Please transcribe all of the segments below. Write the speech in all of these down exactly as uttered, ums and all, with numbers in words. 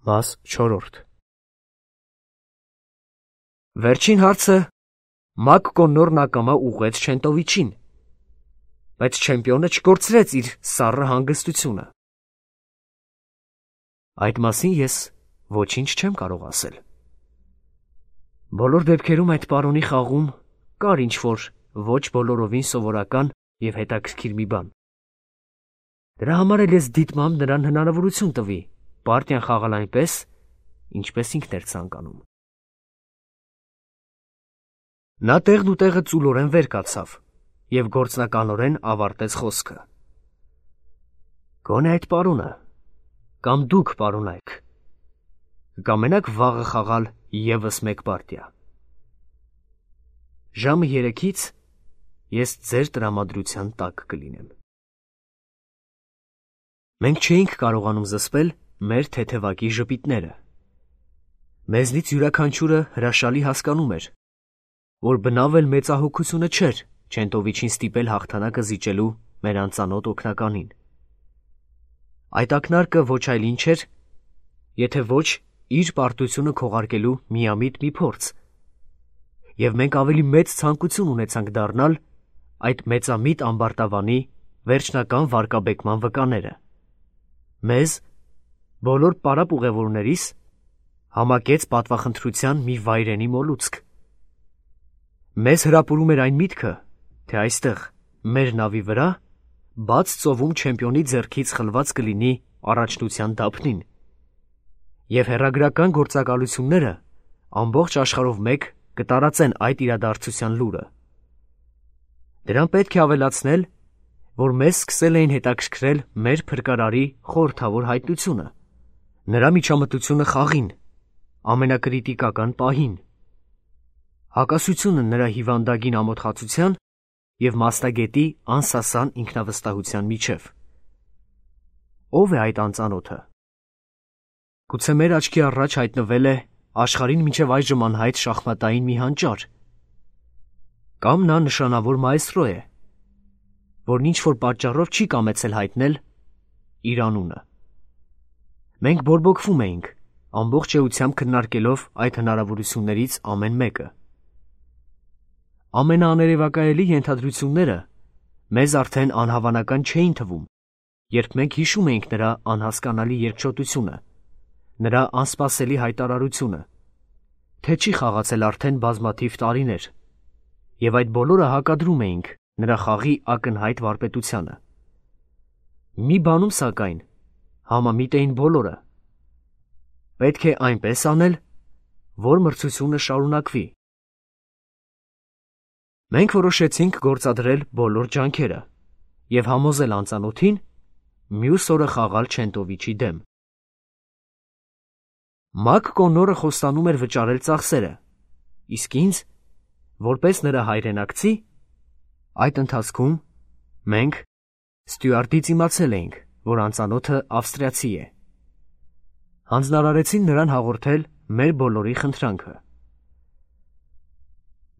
Մաս չորրորդ Վերջին հարցը Մակ Կոննորն ակամա ուղղեց Չենտովիչին, բայց չեմպիոնը չկորցրեց իր սառը հանգստությունը։ Այդ մասին ես ոչինչ չեմ կարող ասել։ Բոլոր դեպքերում այդ պարոնի խաղում կար ինչ-որ ոչ բոլորովին սովորական և հետաքրքիր մի բան։ Դրա համար էլ ես դիտմամբ նրան հնարավորություն տվի պարտիան խաղալ այնպես, ինչպես ինքն էր ցանկանում։ Նա տեղն ու տեղը ծուլորեն վեր կացավ և գործնականորեն ավարտեց խոսքը։ Գոնե այդ պարոնը, կամ դուք, պարոնայք, կկամենաք վաղը խաղալ ևս մեկ պարտիա։ Ժամը երեքից ես ձեր տրամադրության տակ կլինեմ։ Մենք չէինք կարողանում զսպել մեր թեթևակի ժպիտները։ Մեզնից յուրաքանչյուրը հրաշալի հասկանում էր, որ բնավ էլ մեծահոգությունը չէր Չենտովիչին ստիպել հաղթանակը զիջելու մեր անծանոթ օգնականին։ Այդ ակնարկը ոչ այլ ինչ էր, եթե ոչ իր պարտությունը քողարկելու միամիտ մի փորձ, և մենք ավելի մեծ ցանկություն ունեցանք դառնալ այդ մեծամիտ ամբարտավանի վերջնական վարկաբեկման վկաները։ Մեզ, բոլոր պարապ ուղևորներիս, համակեց պատվախնդրության մի վայրենի մոլուցք։ Մեզ հրապուրում էր այն միտքը, թե այստեղ, մեր նավի վրա, բաց ծովում չեմպիոնի ձեռքից խլված կլինի առաջնության դափնին, և հեռագրական գործակալությունները ամբողջ աշխարհով մեկ կտարածեն այդ իրադարձության լուրը։ Դրան պետք է ավելացնել, որ մեզ սկսել էին հետաքրքրել մեր փրկարարի խորհրդավոր հայտնությունը, նրա միջամտությունը խաղին, ամենակրիտիկական պահին, հակասությունը նրա հիվանդագին ամոթխածության և մասնագետի անսասան ինքնավստահության միջև։ Ո՞վ է այդ անծանոթը։ Գուցե մեր աչքի առաջ հայտնվել է աշխարհին մինչև այժմ անհայտ շախմատային մի հանճար, կամ նա նշանավոր մայստրո է, որն ինչ-որ պատճառով չի կամեցել հայտնել իր անունը։ Մենք բորբոքվում էինք, ամբողջ էությամբ քննարկելով այդ հնարավորություններից ամեն մեկը։ Ամենաաներևակայելի ենթադրությունները մեզ արդեն անհավանական չէին թվում, երբ մենք հիշում էինք նրա անհասկանալի երկչոտությունը, նրա անսպասելի հայտարարությունը, թե չի խաղացել արդեն բազմաթիվ տարիներ, և այդ բոլորը հակադրում էինք նրա խաղի ակնհայտ վարպետությանը։ Մի բանում, սակայն, համամիտ էին բոլորը. պետք է այնպես անել, որ մրցությունը շարունակվի։ Մենք որոշեցինք գործադրել բոլոր ջանքերը և համոզել անծանոթին մյուս օրը խաղալ Չենտովիչի դեմ։ Մակ Կոննորը խոստանում էր վճարել ծախսերը, իսկ ինձ, որպես նրա հայրենակցի, այդ ընթացքում մենք ստյուարտից իմացել էինք, որ անծանոթը ավստրիացի է։ Հանձնարարեցին նրան հաղորդել մեր բոլորի խնդրանքը։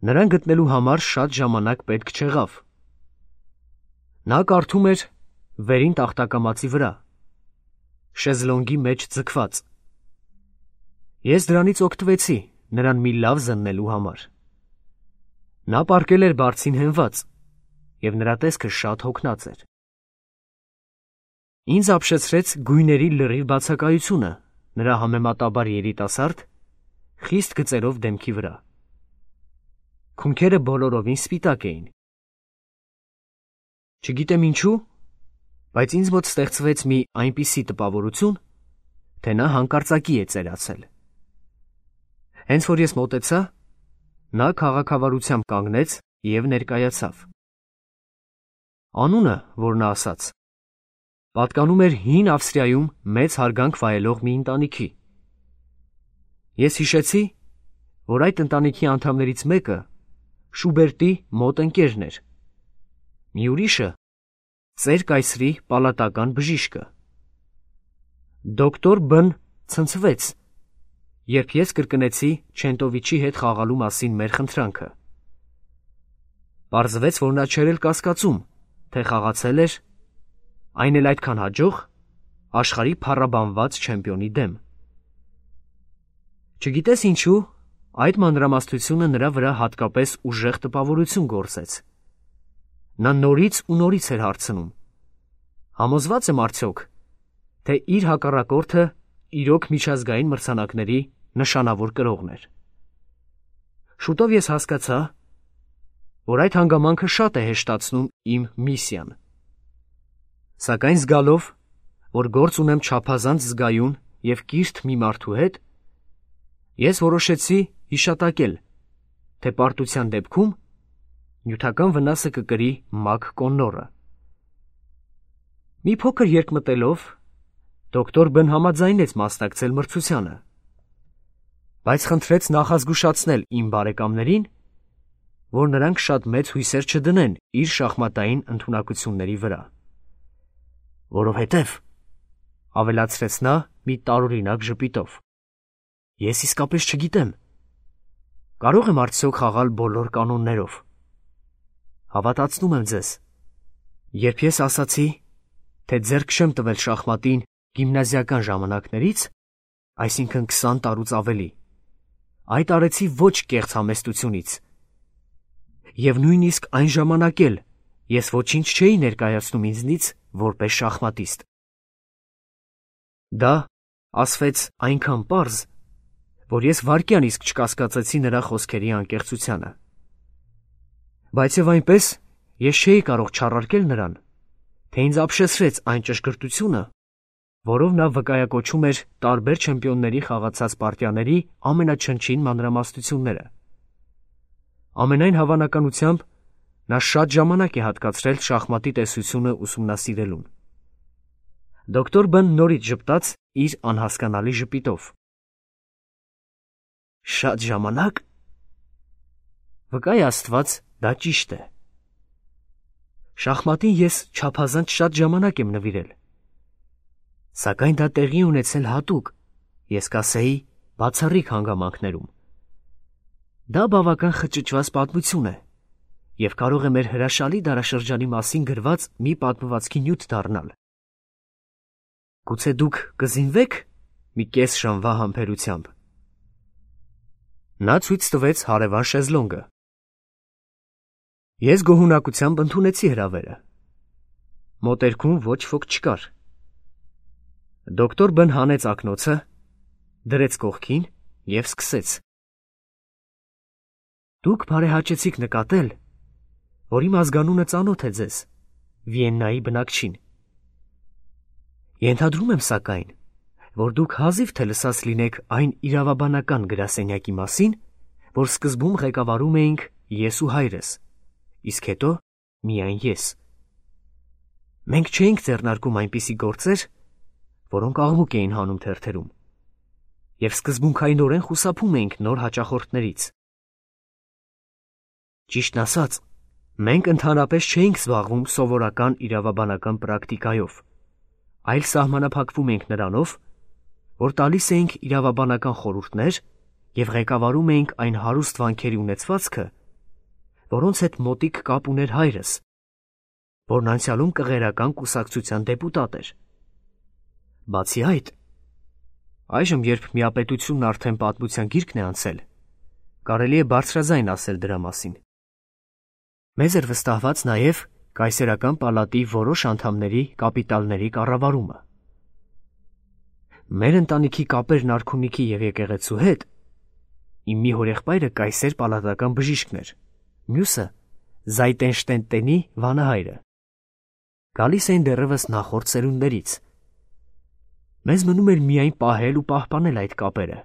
Նրան գտնելու համար շատ ժամանակ պետք չեղավ։ Նա կարդում էր վերին տախտակամածի վրա, շեզլոնգի մեջ ձգված։ Ես դրանից օգտվեցի նրան մի լավ զննելու համար։ Նա պառկել էր բարձին հենված, և նրա տեսքը շատ հոգնած էր։ Ինձ ապշեցրեց գույների լրիվ բացակայությունը նրա համեմատաբար երիտասարդ, խիստ գծերով դեմքի վրա։ Քունքերը բոլորովին սպիտակ էին։ Չգիտեմ ինչու, բայց ինձ մոտ ստեղծվեց մի այնպիսի տպավորություն, թե նա հանկարծակի է ծերացել։ Հենց որ ես մոտեցա, նա քաղաքավարությամբ կանգնեց և ներկայացավ։ Անունը, որ նա ասաց, պատկանում էր հին Ավստրիայում մեծ հարգանք վայելող մի ընտանիքի։ Ես հիշեցի, որ այդ ընտանիքի անդամներից մեկը Շուբերտի մոտ ընկերն էր, մի ուրիշը ծեր կայսրի պալատական բժիշկը։ Դոկտոր Բ-ն ցնցվեց, երբ ես կրկնեցի Չենտովիչի հետ խաղալու մասին մեր խնդրանքը։ Պարզվեց, որ նա չէր էլ կասկածում, թե խաղացել էր, այն էլ այդքան հաջող, աշխարհի փառաբանված չեմպիոնի դեմ։ Չգիտես ինչու, այդ մանրամասնությունը նրա վրա հատկապես ուժեղ տպավորություն գործեց։ Նա նորից ու նորից էր հարցնում. համոզված եմ արդյոք, թե իր հակառակորդը իրոք միջազգային մրցանակների նշանավոր կրողն էր։ Շուտով ես հասկացա, որ այդ հանգամանքը շատ է հեշտացնում իմ միսիան։ Սակայն զգալով, որ գործ ունեմ չափազանց զգայուն և կիրթ մի մարդու հետ, ես որոշեցի հիշատակել, թե պարտության դեպքում նյութական վնասը կկրի Մակ Կոննորը։ Մի փոքր երկմտելով, դոկտոր Բն համաձայնեց մասնակցել մրցությանը, բայց խնդրեց նախազգուշացնել իմ բարեկամներին, որ նրանք շատ մեծ հույսեր չդնեն իր շախմատային ընդունակությունների վրա։ Որովհետև, ավելացրեց նա մի տարօրինակ ժպիտով, ես իսկապես չգիտեմ, կարող եմ արդյոք խաղալ բոլոր կանոններով։ Հավատացնում եմ ձեզ, երբ ես ասացի, թե ձեռք չեմ տվել շախմատին գիմնազիական ժամանակներից, այսինքն քսան տարուց ավելի, այդ արեցի ոչ կեղծ համեստությունից, և նույնիսկ այն ժամանակ էլ ես ոչինչ չէի ներկայացնում ինձնից որպես շախմատիստ։ Դա ասվեց այնքան պարզ, որ ես վայրկյան իսկ չկասկածեցի նրա խոսքերի անկեղծությանը։ Բայց և այնպես ես չէի կարող չառարկել նրան, թե ինձ ապշեցրեց այն ճշգրտությունը, որով նա վկայակոչում էր տարբեր չեմպիոնների խաղացած պարտիաների ամենաչնչին մանրամասնությունները։ Ամենայն հավանականությամբ նա շատ ժամանակ է հատկացրել շախմատի տեսությունը ուսումնասիրելուն։ Դոկտոր Բն նորից ժպտաց իր անհասկանալի ժպիտով։ Շատ ժամանակ։ Վկայ Աստված, դա ճիշտ է։ Շախմատին ես չափազանց շատ ժամանակ եմ նվիրել։ Սակայն դա տեղի ունեցել հատուկ, ես կասեի, բացառիկ հանգամանքներում։ Դա բավական խճճված պատմություն է և կարող է մեր հրաշալի դարաշրջանի մասին գրված մի պատմվածքի նյութ դառնալ։ Գուցե դուք կզինվե՞ք մի կես ժամվա համբերությամբ։ Նա ցույց տվեց հարևան շեզլոնգը։ Ես գոհունակությամբ ընդունեցի հրավերը։ Մոտերքում ոչ ոք չկար։ Դոկտոր Բն հանեց ակնոցը, դրեց կողքին և սկսեց. Դուք բարեհաճեցիք նկատել, որ իմ ազգանունը ծանոթ է ձեզ, Վիեննայի բնակչին։ Ենթադրում եմ սակայն, որ դուք հազիվ թե լսած լինեք այն իրավաբանական գրասենյակի մասին, որ սկզբում ղեկավարում էինք ես ու հայրս, իսկ հետո միայն ես։ Մենք չէինք ձեռնարկում այնպիսի գործեր, որոնք աղմուկ էին հանում թերթերում, և սկզբունքայինորեն խուսափում էինք նոր հաճախորդներից։ Ճիշտն ասած, մենք ընդհանրապես չէինք զբաղվում սովորական իրավաբանական պրակտիկայով, այլ սահմանափակվում էինք նրանով, որ տալիս էինք իրավաբանական խորհուրդներ և ղեկավարում էինք այն հարուստ վանքերի ունեցվածքը, որոնց հետ մոտիկ կապ ուներ հայրս, որն անցյալում կղերական կուսակցության դեպուտատ էր։ Բացի այդ, այժմ, երբ միապետությունն արդեն պատմության գիրկն է անցել, կարելի է բարձրաձայն ասել դրա մասին։ Մեզ էր վստահված նաև կայսերական պալատի որոշ անդամների կապիտալների կառավարումը։ Մեր ընտանիքի կապերն արքունիքի և եկեղեցու հետ, իմ մի հորեղբայրը կայսեր պալատական բժիշկն էր, մյուսը Զայտենշտենտենի վանահայրը։ Գալիս էին դեռևս նախորդ սերունդներից։ Մեզ մնում էր միայն պահել ու պահպանել այդ կապերը։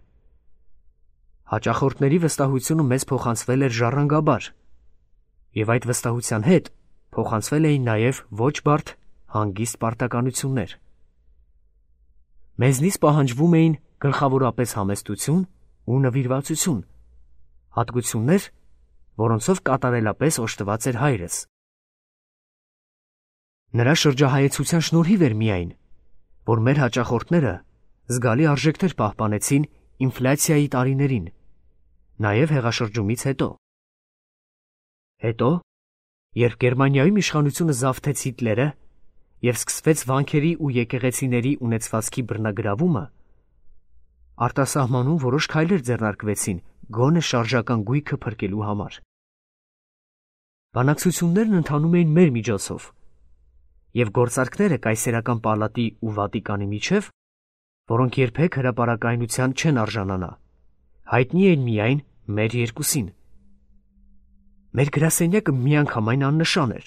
Հաճախորդների վստահությունը մեզ փոխանցվել էր ժառանգաբար, և այդ վստահության հետ փոխանցվել էին նաև ոչ բարդ հանգիստ պարտականություններ։ Մեզնից պահանջվում էին գլխավորապես համեստություն ու նվիրվածություն, հատկություններ, որոնցով կատարելապես օժտված էր հայրս։ Նրա շրջահայեցության շնորհիվ էր միայն, որ մեր հաճախորդները զգալի արժեքներ պահպանեցին ինֆլյացիայի տարիներին, նաև հեղաշրջումից հետո։ Հետո, երբ Գերմանիայում իշխանությունը զավթեց Հիտլերը և սկսվեց վանքերի ու եկեղեցիների ունեցվածքի բռնագրավումը, արտասահմանում որոշ քայլեր ձեռնարկվեցին գոնե շարժական գույքը փրկելու համար։ Բանակցություններն ընթանում էին մեր միջոցով, և գործարքները կայսերական պալատի ու Վատիկանի միջև, որոնք երբեք հրապարակայնության չեն արժանանա, հայտնի էին միայն մեր երկուսին։ Մեր գրասենյակը միանգամայն աննշան էր։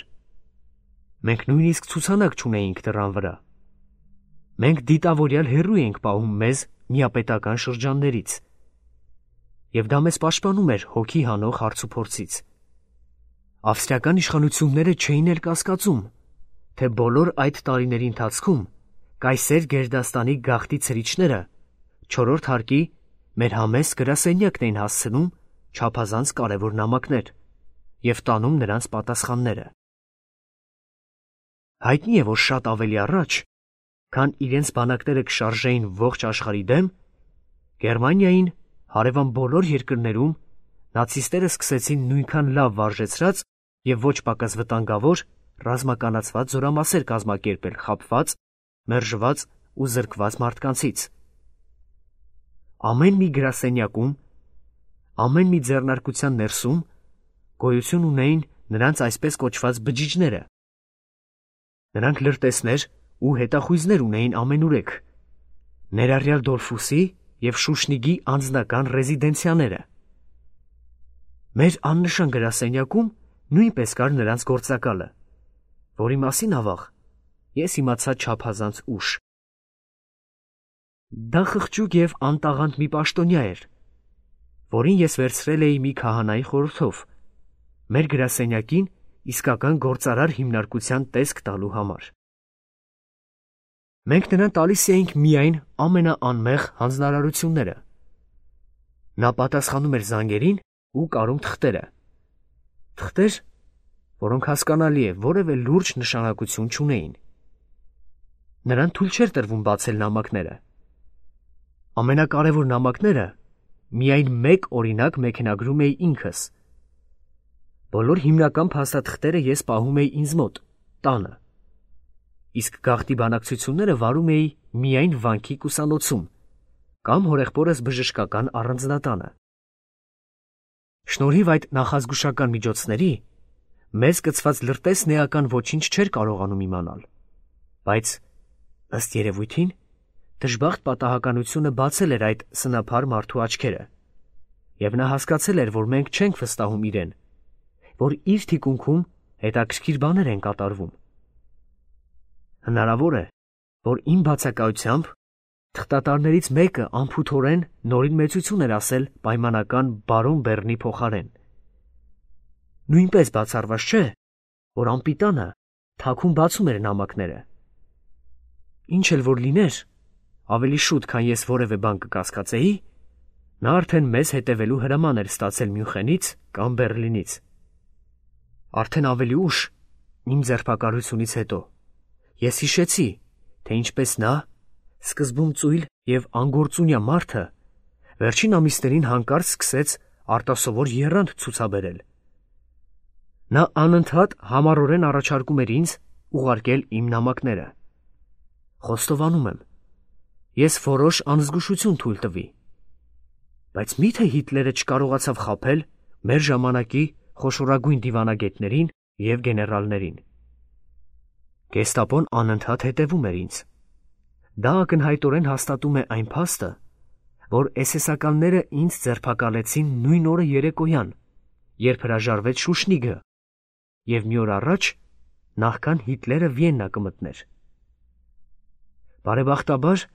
Մենք նույնիսկ ցուցանակ չունեինք դռան վրա։ Մենք դիտավորյալ հեռու էինք պահում մեզ միապետական շրջաններից, և դա մեզ պաշտպանում էր հոգի հանող հարցուփորձից։ Ավստրիական իշխանությունները չէին էլ կասկածում, թե բոլոր այդ տարիների ընթացքում կայսեր Գերդաստանի գաղթի ցրիչները չորրորդ հարկի մեր համեստ գրասենյակն էին հասցնում չափազանց կարևոր նամակներ և տանում նրանց պատասխանները։ Հայտնի է, որ շատ ավելի առաջ, քան իրենց բանակները կշարժեին ողջ աշխարհի դեմ, Գերմանիային, հարևան բոլոր երկրներում նացիստները սկսեցին նույնքան լավ վարժեցրած և ոչ պակաս վտանգավոր ռազմականացված զորամասեր կազմակերպել խաբված, մերժված ու զրկված մարդկանցից։ Ամեն մի գրասենյակում, ամեն մի ձեռնարկության ներսում գոյություն ունեին նրանց այսպես կոչված բջիջները։ Նրանք լրտեսներ ու հետախույզներ ունեին ամենուրեք, ներառյալ Դոլֆուսի և Շուշնիգի անձնական ռեզիդենցիաները։ Մեր աննշան գրասենյակում նույնպես կար նրանց գործակալը, որի մասին ավաղ ես իմացա չափազանց ուշ։ Դա խղճուկ և անտաղանդ մի պաշտոնյա էր, որին ես վերցրել էի մի քահանայի խորհրդով մեր գրասենյակին իսկական գործարար հիմնարկության տեսք տալու համար։ Մենք նրան տալիս էինք միայն ամենաանմեղ հանձնարարությունները։ Նա պատասխանում էր զանգերին ու կարում թղթերը։ Թղթեր, որոնք հասկանալի է որևէ լուրջ նշանակություն չունեին։ Նրան թույլ չէր տրվում բացել նամակները։ Ամենակարևոր նամակները միայն մեկ օրինակ մեքենագրում էի ինքս։ Բոլոր հիմնական փաստաթղթերը ես պահում էի ինձ մոտ, տանը, իսկ գաղթի բանակցությունները վարում էի միայն վանքի կուսանոցում կամ հորեղբորս բժշկական առանձնատանը։ Շնորհիվ այդ նախազգուշական միջոցների մեզ կցված լրտեսն էական ոչինչ չէր կարողանում իմանալ, բայց, ըստ երևույթին, դժբախտ պատահականությունը բացել էր այդ սնափար մարդու աչքերը, և նա հասկացել էր, որ մենք չենք վստահում իրեն, որ իր թիկունքում հետաքրքիր բաներ են կատարվում։ Հնարավոր է, որ իմ բացակայությամբ թղթատարներից մեկը անփութորեն նորին մեծություն էր ասել պայմանական բարոն Բեռնի փոխարեն։ Նույնպես բացառված չէ, որ անպիտանը թաքուն բացում էր նամակները։ Ինչ էլ որ լիներ, ավելի շուտ, քան ես որևէ բան կկասկածեի, նա արդեն մեզ հետևելու հրաման էր ստացել Մյունխենից կամ Բեռլինից։ Արդեն ավելի ուշ, իմ ձերբակալությունից հետո, ես հիշեցի, թե ինչպես նա, սկզբում ծույլ և անգործունյա մարդը, վերջին ամիսներին հանկարծ սկսեց արտասովոր եռանդ ցուցաբերել։ Նա անընդհատ համառորեն առաջարկում էր ինձ ուղարկել իմ նամակները։ Խոստովանում եմ, ես որոշ անզգուշություն թույլ տվի, բայց մի՞թե Հիտլերը չկարողացավ խաբել մեր ժամանակի խոշորագույն դիվանագետներին և գեներալներին։ Գեստապոն անընդհատ հետևում էր ինձ։ Դա ակնհայտորեն հաստատում է այն փաստը, որ էսեսականները ինձ ձերբակալեցին նույն օրը երեկոյան, երբ հրաժարվեց Շուշնիգը, և մի օր առաջ, նախքան Հիտլերը Վիեննա կմտներ։ Բարեբախտաբար,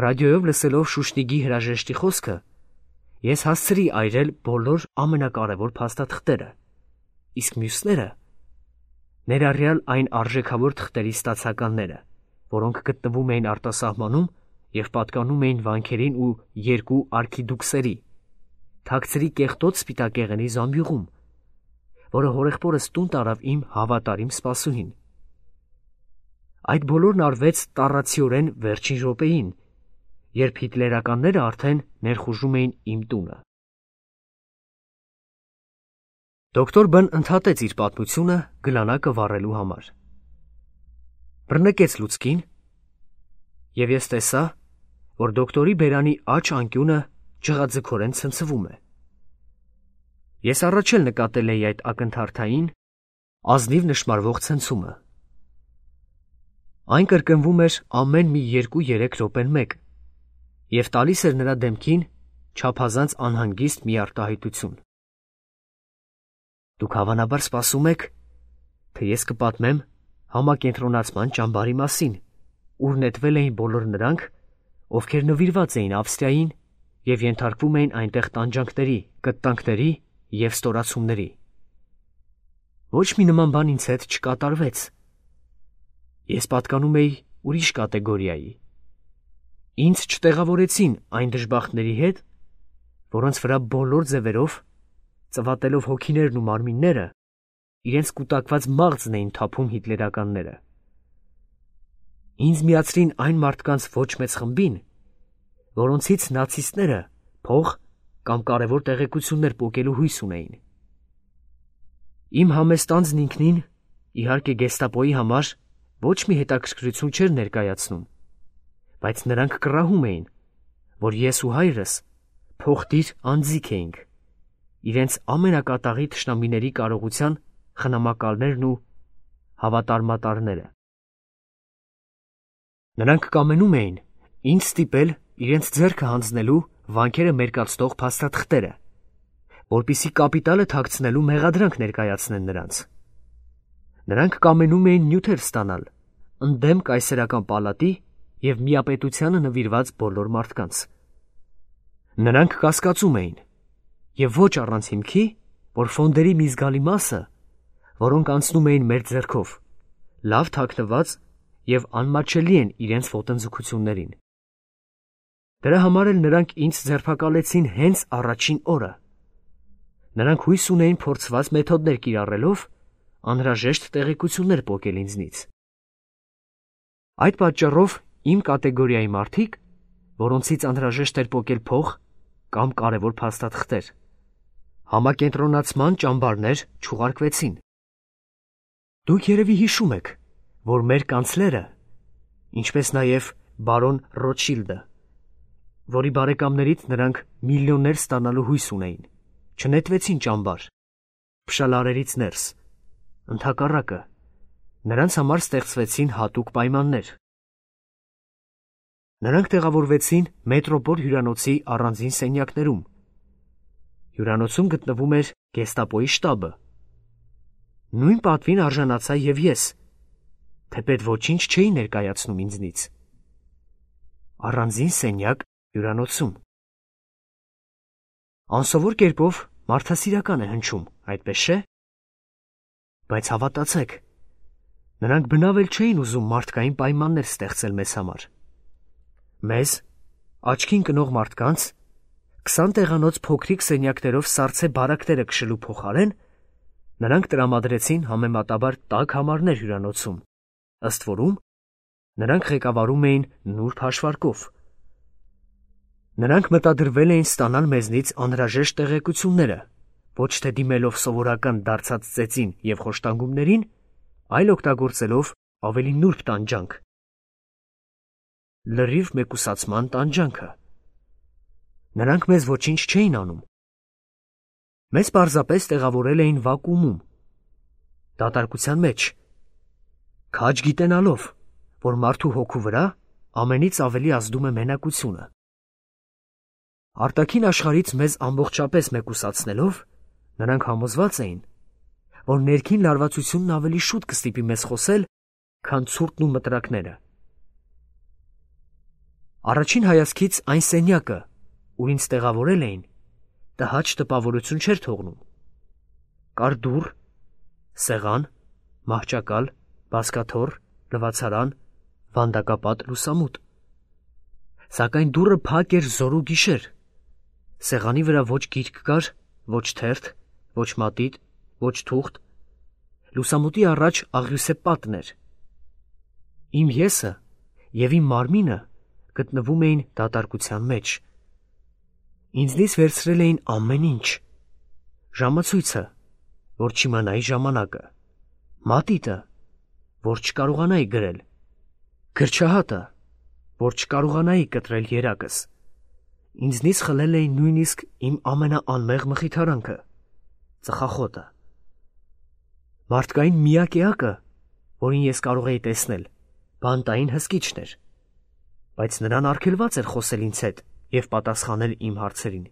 ռադիոյով լսելով Շուշնիգի հրաժեշտի խոսքը, ես հասցրի այրել բոլոր ամենակարևոր փաստաթղթերը, իսկ մյուսները, ներառյալ այն արժեքավոր թղթերի ստացականները, որոնք գտնվում էին արտասահմանում և պատկանում էին վանքերին ու երկու արքիդուքսերի, թաքցրի կեղտոտ սպիտակեղենի զամբյուղում, որը հորեղբորս տուն տարավ իմ հավատարիմ սպասուհին։ Այդ բոլորն արվեց տառացիորեն վերջին րոպեին, երբ հիտլերականները արդեն ներխուժում էին իմ տունը։ Դոկտոր Բ-ն ընդհատեց իր պատմությունը գլանակը վառելու համար։ Բռնկեց լուցկին, և ես տեսա, որ դոկտորի բերանի աջ անկյունը ջղաձգորեն ցնցվում է։ Ես առաջ էլ նկատել էի այդ ակնթարթային, ազնիվ նշմարվող ցնցումը։ Այն կրկնվում էր ամեն մի երկու-երեք րոպեն մեկ և տալիս էր նրա դեմքին չափազանց անհանգիստ մի արտահայտություն։ Դուք հավանաբար սպասում եք, թե ես կպատմեմ համակենտրոնացման ճամբարի մասին, ուր նետվել էին բոլոր նրանք, ովքեր նվիրված էին Ավստրիային և ենթարկվում էին այնտեղ տանջանքների, կտտանքների և ստորացումների։ Ոչ մի նման բան ինձ հետ չկատարվեց։ Ես պատկանում էի ուրիշ կատեգորիայի։ Ինձ չտեղավորեցին այն դժբախտների հետ, որոնց վրա բոլոր ձևերով, ծվատելով հոգիներն ու մարմինները, իրենց կուտակված մաղձն էին թափում հիտլերականները։ Ինձ միացրին այն մարդկանց ոչ մեծ խմբին, որոնցից նացիստները փող կամ կարևոր տեղեկություններ պոկելու հույս ունեին։ Իմ համեստ անձն ինքնին, իհարկե գեստապոյի համար, ոչ մի հետաքրքրություն չէր ներկայացնում, բայց նրանք կռահում էին, որ ես ու հայրս փոխտիր անձիկ էինք, իրենց ամենակատաղի թշնամիների կարողության խնամակալներն ու հավատարմատարները։ Նրանք կամենում էին ինձ ստիպել իրենց ձեռքը հանձնելու վանքերը մերկացնող փաստաթղթերը, որպեսզի կապիտալը թաքցնելու մեղադրանք ներկայացնեն նրանց։ Նրանք կամենում էին նյութեր ստանալ ընդդեմ կայսերական պալատի և միապետությանը նվիրված բոլոր մարդկանց։ Նրանք կասկածում էին, և ոչ առանց հիմքի, որ ֆոնդերի մի զգալի մասը, որոնք անցնում էին մեր ձեռքով, լավ թաքնված և անմատչելի են իրենց ոտնձգություններին։ Դրա համար էլ նրանք ինձ ձերբակալեցին հենց առաջին օրը։ Նրանք հույս ունեին փորձված մեթոդներ կիրառելով անհրաժեշտ տեղեկություններ պոկել ինձնից։ Այդ պատճառով իմ կատեգորիայի մարդիկ, որոնցից անհրաժեշտ էր պոկել փող կամ կարևոր փաստաթղթեր, համակենտրոնացման ճամբարներ չուղարկվեցին։ Դուք երևի հիշում եք, որ մեր կանցլերը, ինչպես նաև բարոն Ռոտշիլդը, որի բարեկամներից նրանք միլիոններ ստանալու հույս ունեին, չնետվեցին ճամբար, փշալարերից ներս, ընդհակառակը, նրանց համար ստեղծվեցին հատուկ պայմաններ։ Նրանք տեղավորվեցին մետրոպոլ հյուրանոցի առանձին սենյակներում։ Հյուրանոցում գտնվում էր գեստապոյի շտաբը։ Նույն պատվին արժանացա և ես, թեպետ ոչինչ չէի ներկայացնում ինձնից։ Առանձին սենյակ հյուրանոցում։ Անսովոր կերպով մարդասիրական է հնչում, այդպես չէ՞։ Բայց հավատացեք, նրանք բնավ էլ չէին ուզում մարդկային պայմաններ ստեղծել մեզ համար։ Մեզ, աչքին կնող մարդկանց, քսան տեղանոց փոքրիկ սենյակներով սառցե բարակները քշելու փոխարեն, նրանք տրամադրեցին համեմատաբար տաք համարներ հյուրանոցում, ըստ որում նրանք ղեկավարում էին նուրբ հաշվարկով։ Նրանք մտադրվել էին ստանալ մեզնից անհրաժեշտ տեղեկությունները, ոչ թե դիմելով սովորական դարձած ծեծին և խոշտանգումներին, այլ օգտագործելով ավելի նուրբ տանջանք։ Լրիվ մեկուսացման տանջանքը։ Նրանք մեզ ոչինչ չէին անում։ Մեզ պարզապես տեղավորել էին վակուումում, դատարկության մեջ, քաջ գիտենալով, որ մարդու հոգու վրա ամենից ավելի ազդում է մենակությունը։ Արտաքին աշխարհից մեզ ամբողջապես մեկուսացնելով, նրանք համոզված էին, որ ներքին լարվածությունն ավելի շուտ կստիպի մեզ խոսել, քան ցուրտն ու մտրակները։ Առաջին հայացքից այն սենյակը, ուր ինձ տեղավորել էին, տհաճ տպավորություն չէր թողնում։ Կար դուռ, սեղան, մահճակալ, բազկաթոռ, լվացարան, վանդակապատ լուսամուտ։ Սակայն դուռը փակ էր զոր ու գիշեր։ Սեղանի վրա ոչ գիրք կար, ոչ թերթ, ոչ մատիտ, ոչ թուղթ։ Լուսամուտի առաջ աղյուսե պատն էր։ Իմ եսը և իմ մարմինը գտնվում էին դատարկության մեջ։ Ինձնից վերցրել էին ամեն ինչ. ժամացույցը, որ չիմանայի ժամանակը, մատիտը, որ չկարողանայի գրել, գրչահատը, որ չկարողանայի կտրել երակս։ Ինձնից խլել էին նույնիսկ իմ ամենաանմեղ մխիթարանքը՝ ծխախոտը։ Մարդկային միակ էակը, որին ես կարող էի տեսնել, բանտային հսկիչն էր, բայց նրան արգելված էր խոսել ինձ հետ և պատասխանել իմ հարցերին։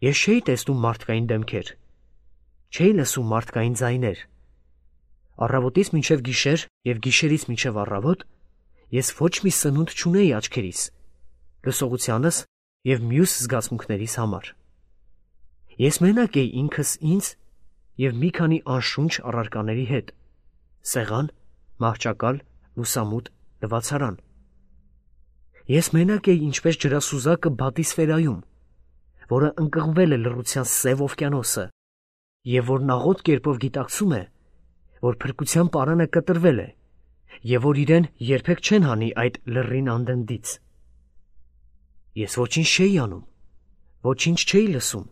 Ես չէի տեսնում մարդկային դեմքեր, չէի լսում մարդկային ձայներ։ Առավոտից մինչև գիշեր և գիշերից մինչև առավոտ ես ոչ մի սնունդ չունեի աչքերիս, լսողությանս և մյուս զգացմունքներիս համար։ Ես մենակ էի ինքս ինձ և մի քանի անշունչ առարկաների հետ՝ սեղան, մահճակալ, լուսամուտ, լվացարան։ Ես մենակ էի ինչպես ջրասուզակը բատիսֆերայում, որը ընկղմվել է լռության սև օվկիանոսը և որ նաղոտ կերպով գիտակցում է, որ փրկության պարանը կտրվել է և որ իրեն երբեք չեն հանի այդ լռին անդնդից։ Ես ոչինչ չէի անում, ոչինչ չէի լսում,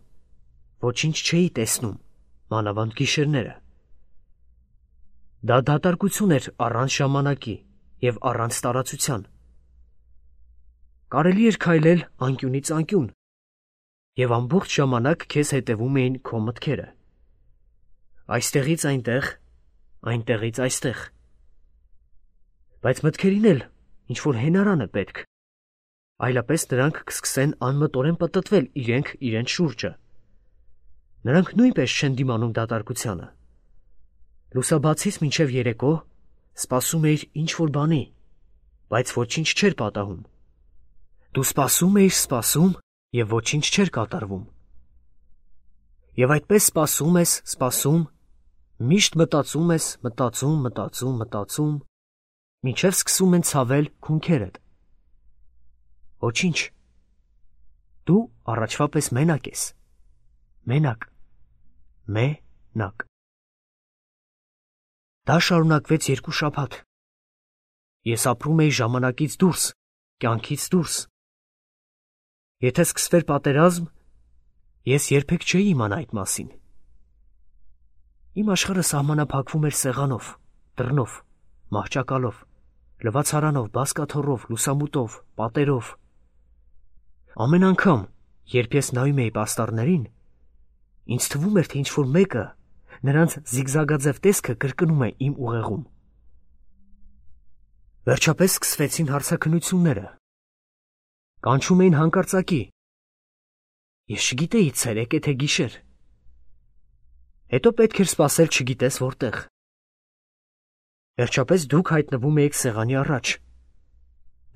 ոչինչ չէի տեսնում, մանավանդ գիշերները։ Դա դատարկություն էր առանց ժամանակի և առանց տարածության։ Կարելի էր քայլել անկյունից անկյուն, և ամբողջ ժամանակ քեզ հետևում էին քո մտքերը։ Այստեղից այնտեղ, այնտեղից այստեղ։ Բայց մտքերին էլ ինչ-որ հենարան է պետք, այլապես նրանք կսկսեն անմտորեն պտտվել իրենք իրենց շուրջը։ Նրանք նույնպես չեն դիմանում դատարկությանը։ Լուսաբացից մինչև երեկո սպասում էիր ինչ-որ բանի, բայց ոչինչ չէր պատահում։ Դու սպասում էիր, սպասում և ոչինչ չէր կատարվում։ Եվ այդպես սպասում ես, սպասում, միշտ մտածում ես, մտածում, մտածում, մտածում, մինչև սկսում են ցավել քունքերդ։ Ոչինչ։ Դու առաջվա պես մենակ ես։ Մենակ։ Մենակ։ Դա շարունակվեց երկու շաբաթ։ Ես ապրում էի ժամանակից դուրս, կյանքից դուրս։ Եթե սկսվեր պատերազմ, ես երբեք չէի իմանա այդ մասին։ Իմ աշխարհը սահմանափակվում էր սեղանով, դռնով, մահճակալով, լվացարանով, բազկաթոռով, լուսամուտով, պատերով։ Ամեն անգամ, երբ ես նայում էի պաստառներին, ինձ թվում էր, թե ինչ-որ մեկը նրանց զիգզագաձև տեսքը կրկնում է իմ ուղեղում։ Վերջապես սկսվեցին հարցաքննությունները։ Կանչում էին հանկարծակի։ Ես չգիտեի ցերեկ է թե գիշեր։ Հետո պետք էր սպասել չգիտես որտեղ։ Վերջապես դուք հայտնվում էիք սեղանի առաջ,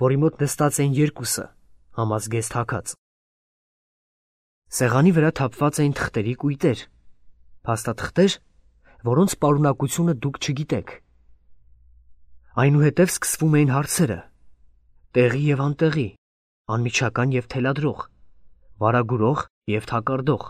որի մոտ նստած էին երկուսը, համազգեստ հագած։ Սեղանի վրա թափված էին թղթերի կույտեր, փաստաթղթեր, որոնց պարունակությունը դուք չգիտեք։ Այնուհետև սկսվում էին հարցերը՝ տեղի և անտեղի, անմիջական և թելադրող, վարագուրող և թակարդող։